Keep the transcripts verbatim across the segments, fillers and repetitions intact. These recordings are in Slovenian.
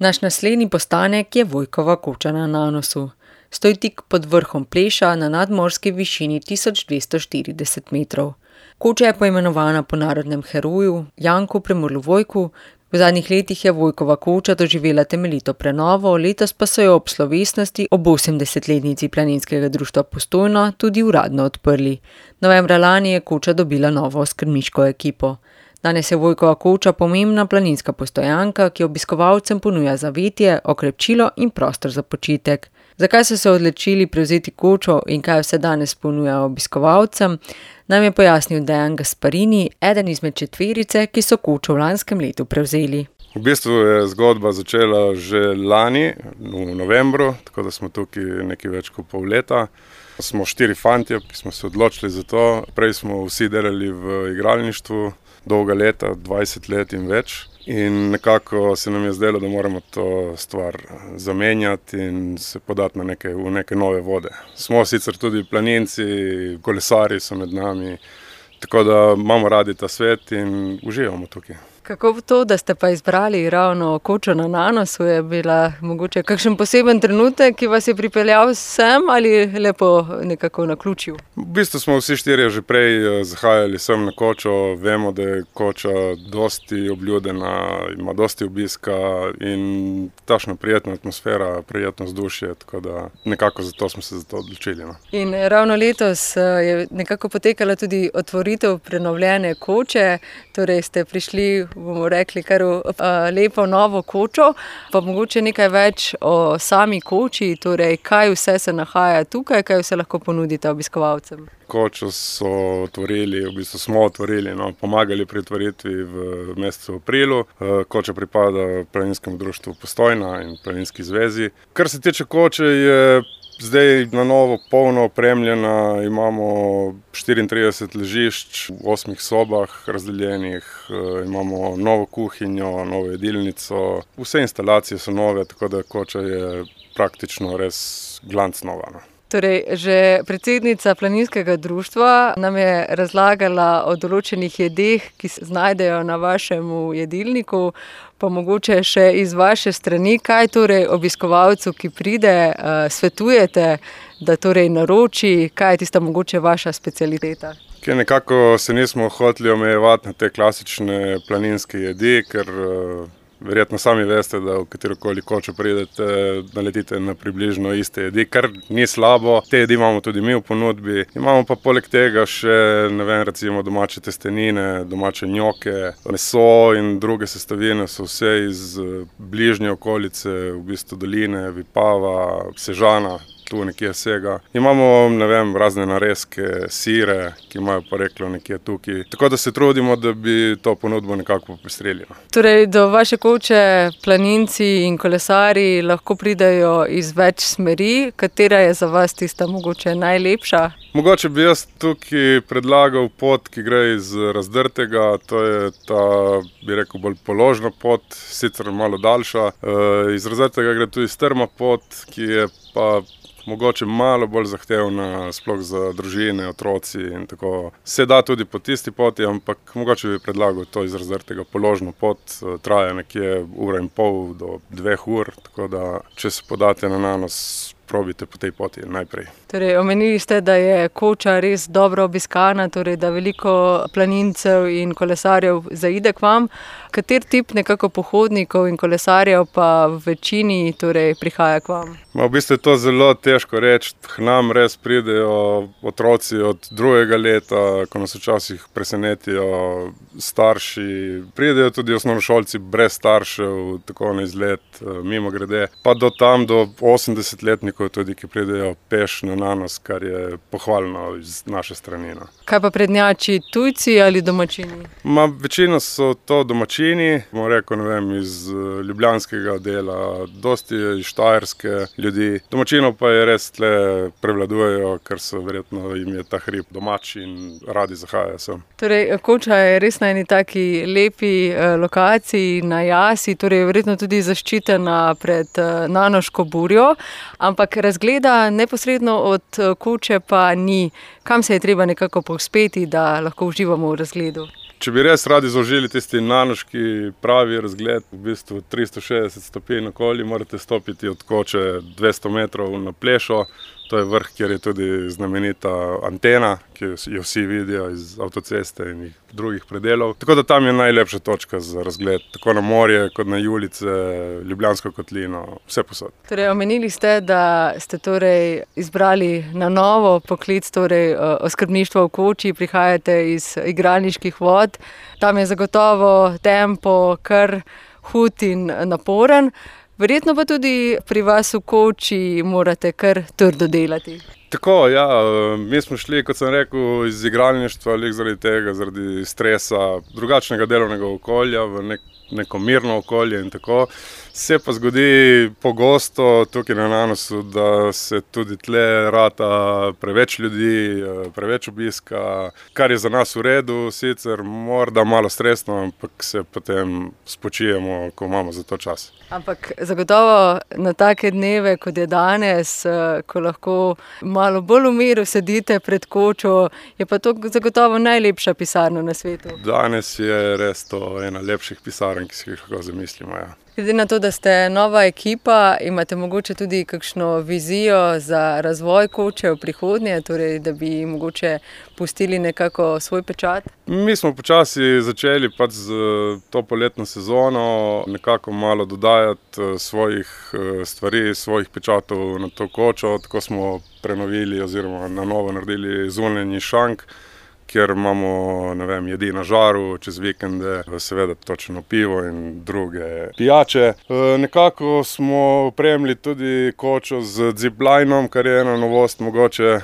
Naš naslednji postanek je Vojkova koča na Nanosu. Stoji tik pod vrhom Pleša na nadmorski višini tisoč dvesto štirideset metrov. Koča je poimenovana po narodnem heroju Janku Premrlu Vojku. V zadnjih letih je Vojkova koča doživela temeljito prenovo, letos pa so jo ob slovesnosti ob osemdesetletnici Planinskega društva Postojna tudi uradno odprli. Novembra lani je koča dobila novo skrbniško ekipo. Danes je Vojkova koča pomembna planinska postojanka, ki obiskovalcem ponuja zavetje, okrepčilo in prostor za počitek. Zakaj so se odločili prevzeti kočo in kaj vse danes ponuja obiskovalcem, nam je pojasnil Dejan Gasparini, eden izmed četverice, ki so kočo v lanskem letu prevzeli. V bistvu je zgodba začela že lani, v novembru, tako da smo tukaj nekaj več kot pol leta. Smo štiri fantje, ki smo se odločili za to. Prej smo vsi delali v igralništvu, dolga leta, dvajset let in več. In nekako se nam je zdelo, da moramo to stvar zamenjati in se podati na neke, v neke nove vode. Smo sicer tudi planinci, kolesarji so med nami, tako da imamo radi ta svet in uživamo tukaj. Kako to, da ste pa izbrali ravno kočo na Nanosu, je bila mogoče kakšen poseben trenutek, ki vas je pripeljal sem ali lepo nekako naključil? V bistvu smo vsi štirje že prej zahajali sem na kočo, vemo, da je koča dosti obljudena, ima dosti obiska in tašna prijetna atmosfera, prijetno vzdušje, tako da nekako zato smo se za to odločili. No. In ravno letos je nekako potekala tudi otvoritev prenovljene koče, torej ste prišli, bomo rekli, kar v lepo novo kočo, pa mogoče nekaj več o sami koči, torej kaj vse se nahaja tukaj, kaj vse lahko ponudite obiskovalcem. Kočo so otvorili, v bistvu smo otvorili, no, pomagali pri otvoritvi v mesecu aprilu. Koča pripada Planinskemu društvu Postojna in Planinski zvezi. Kar se tiče koče, je zdaj na novo polno opremljena, imamo štiriintrideset ležišč v osmih sobah razdeljenih, imamo novo kuhinjo, novo jedilnico, vse instalacije so nove, tako da koča je praktično res glanc nova. No. Torej, že predsednica Planinskega društva nam je razlagala o določenih jedeh, ki se znajdejo na vašem jedilniku, pa mogoče še iz vaše strani, kaj torej obiskovalcu, ki pride, svetujete, da torej naroči, kaj je tista mogoče vaša specialiteta? Kaj nekako se nismo hoteli omejevati na te klasične planinske jedi, ker verjetno sami veste, da v katerokoli kočo pridete, naletite na približno iste jedi, kar ni slabo. Te jedi imamo tudi mi v ponudbi. Imamo pa poleg tega še, ne vem, recimo domače testenine, domače njoke, meso in druge sestavine so vse iz bližnje okolice, v bistvu doline, Vipava, Sežana. Tu nekje vsega. Imamo, ne vem, razne narezke, sire, ki imajo poreklo nekje tukaj. Tako da se trudimo, da bi to ponudbo nekako popestrili. Torej, do vaše koče planinci in kolesarji lahko pridejo iz več smeri. Katera je za vas tista mogoče najlepša? Mogoče bi jaz tukaj predlagal pot, ki gre iz Razdrtega. To je ta, bi rekel, bolj položna pot, sicer malo daljša. Iz Razdrtega gre tudi strma pot, ki je pa mogoče malo bolj zahtevna, sploh za družine, otroci in tako. Se da tudi po tisti poti, ampak mogoče bi predlagal to iz Razdrtega položno pot. Traja nekje ura in pol do dveh ur, tako da če se podate na Nanos, probite po tej poti najprej. Torej, omenili ste, da je koča res dobro obiskana, torej, da veliko planincev in kolesarjev zaide k vam. Kater tip nekako pohodnikov in kolesarjev pa v večini torej, prihaja k vam? Ma, v bistvu je to zelo težko reči. K nam res pridejo otroci od drugega leta, ko nas včasih presenetijo starši. Pridejo tudi osnovnošolci brez staršev, tako na izlet, mimo grede. Pa do tam, do osemdesetletnikov tudi, ki pridejo peš na Nanos, kar je pohvalno iz naše strani. No. Kaj pa prednjači, tujci ali domačini? Ma, večina so to domačini, bomo rekel, ne vem, iz ljubljanskega dela, dosti je iz Štajerske ljudi. Domačinov pa je res tle prevladujejo, ker so verjetno jim je ta hrib domač in radi zahajajo sem. Torej, koča je res na eni taki lepi eh, lokaciji, na jasi, torej verjetno tudi zaščitena pred eh, nanoško burjo, ampak razgleda neposredno od koče pa ni. Kam se je treba nekako povzpeti, da lahko uživamo v razgledu? Če bi res radi zaužili tisti nanoški pravi razgled, v bistvu tristo šestdeset stopinj okoli, morate stopiti od Koče dvesto metrov na Plešo. To je vrh, kjer je tudi znamenita antena, ki jo vsi vidijo iz avtoceste in drugih predelov. Tako da tam je najlepša točka za razgled, tako na morje, kot na Julice, Ljubljansko kotlino, vse posod. Torej, omenili ste, da ste torej izbrali na novo poklic, torej oskrbništvo v Koči, prihajate iz igralniških vod. Tam je zagotovo tempo kar hud in naporen. Verjetno pa tudi pri vas v Koči morate kar trdo delati. Tako, ja, mi smo šli, kot sem rekel, iz igralništva, lik zaradi tega, zaradi stresa, drugačnega delovnega okolja, v nek, neko mirno okolje in tako. Se pa zgodi pogosto tukaj na Nanosu, da se tudi tle rata preveč ljudi, preveč obiska, kar je za nas v redu, sicer morda malo stresno, ampak se potem spočijemo, ko imamo za to čas. Ampak zagotovo na take dneve, kot je danes, ko lahko malo bolj v miru sedite pred Kočo, je pa to zagotovo najlepša pisarna na svetu. Danes je res to ena lepših pisarn, ki si jih lahko zamislimo, ja. Glede na to, da ste nova ekipa, imate mogoče tudi kakšno vizijo za razvoj Koče v prihodnje, torej da bi mogoče pustili nekako svoj pečat? Mi smo počasi začeli pač z to poletno sezono nekako malo dodajati svojih stvari, svojih pečatov na to Kočo. Tako smo prenovili oziroma na novo naredili zunanji šank, kjer imamo, ne vem, jedi na žaru, čez vikende, seveda točno pivo in druge pijače. Nekako smo opremili tudi Kočo z ziplinom, kar je ena novost mogoče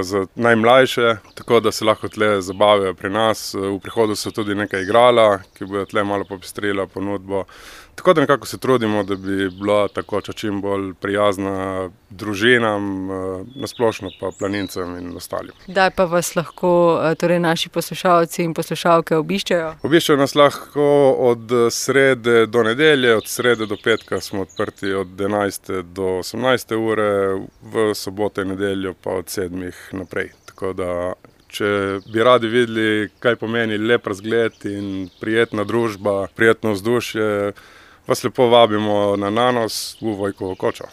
za najmlajše, tako da se lahko tle zabavijo pri nas. V prihodu so tudi nekaj igrala, ki bodo tle malo popestrila ponudbo. Tako da nekako se trudimo, da bi bila ta Koča čim bolj prijazna družinam, nasplošno pa planincem in ostalim. Kdaj pa vas lahko torej naši poslušalci in poslušalke obiščejo? Obiščejo nas lahko od srede do nedelje, od srede do petka smo odprti od enajste do osemnajste ure, v soboto in nedeljo pa od sedmih naprej. Tako da, če bi radi videli, kaj pomeni lep razgled in prijetna družba, prijetno vzdušje, vas lepo vabimo na Nanos v Vojkovo Kočo.